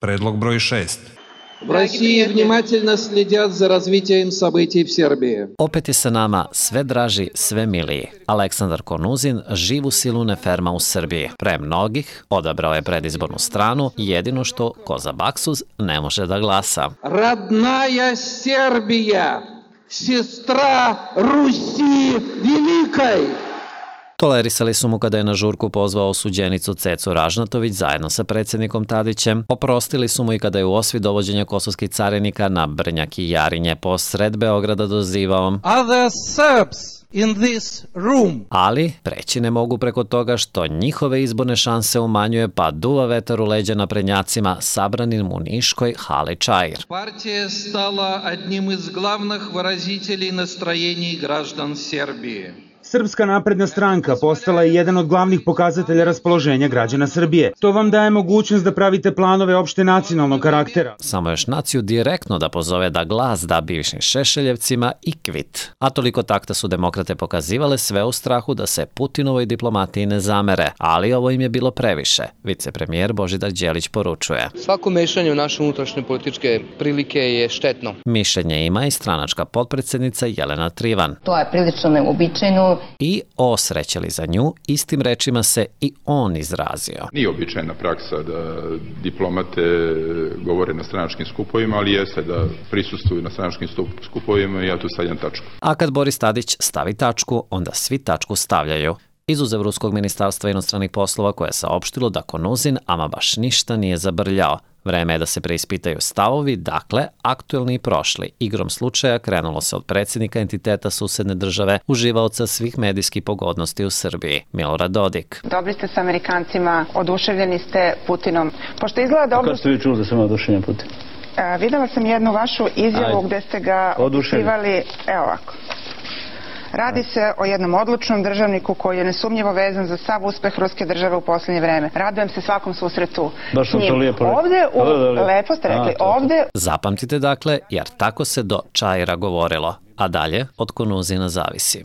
Predlog broj 6. В России внимательно следят за развитием событий в Сербiji. Opet je sa nama sve draži, sve miliji. Aleksandar Konuzin živu silu ne ferma u Srbiji. Pre mnogih odabrao je predizbornu stranu, jedino što ko za baksuz ne može da glasa. Родная Сербия, сестра Руси Великой. Tolerisali su mu kada je na žurku pozvao osuđenicu Cecu Ražnatović zajedno sa predsjednikom Tadićem. Oprostili su mu i kada je u osvi dovođenja kosovskih carinika na Brnjak i Jarinje posred Beograda dozivao Other Serbs in this room. Ali preći ne mogu preko toga što njihove izborne šanse umanjuje pa duva vetar u leđa naprednjacima sabranim u Niškoj hali Čair. Партия стала одним из главных выразителей настроений граждан Сербии. Srpska napredna stranka postala je jedan od glavnih pokazatelja raspoloženja građana Srbije. To vam daje mogućnost da pravite planove opšte nacionalnog karaktera. Samo još naciju direktno da pozove da glas da bivšim Šešeljevcima i kvit. A toliko takta su demokrate pokazivale sve u strahu da se Putinovoj diplomatiji ne zamere, ali ovo im je bilo previše. Vicepremijer Božidar Đelić poručuje. Svako mešanje u naše unutrašnje političke prilike je štetno. Mišljenje ima i stranačka potpredsjednica Jelena Trivan. To je prilično neuobičajeno. I osrećeli za nju, istim rečima se i on izrazio. Nije običajna praksa da diplomate govore na stranačkim skupovima, ali jeste da prisustvuju na stranačkim skupovima i ja tu stavljam tačku. A kad Boris Tadić stavi tačku, onda svi tačku stavljaju. Izuzev Ruskog ministarstva inostranih poslova koje je saopštilo da Konuzin ama baš ništa nije zabrljao. Vreme je da se preispitaju stavovi, dakle, aktuelni i prošli. Igrom slučaja krenulo se od predsjednika entiteta susedne države, uživaoca svih medijskih pogodnosti u Srbiji, Milorad Dodik. Dobri ste sa Amerikancima, oduševljeni ste Putinom. Pošto izgleda dobro... Kako ste vi čuli da sam oduševljen Putin? Videla sam jednu vašu izjavu gde ste ga opisivali, evo ovako. Radi se o jednom odlučnom državniku koji je nesumnjivo vezan za sav uspeh ruske države u posljednje vreme. Radujem se svakom susretu s njim. Ovde, lepo ste rekli, ovde... Zapamtite dakle, jer tako se do Čaira govorilo, a dalje od Konuzina zavisi.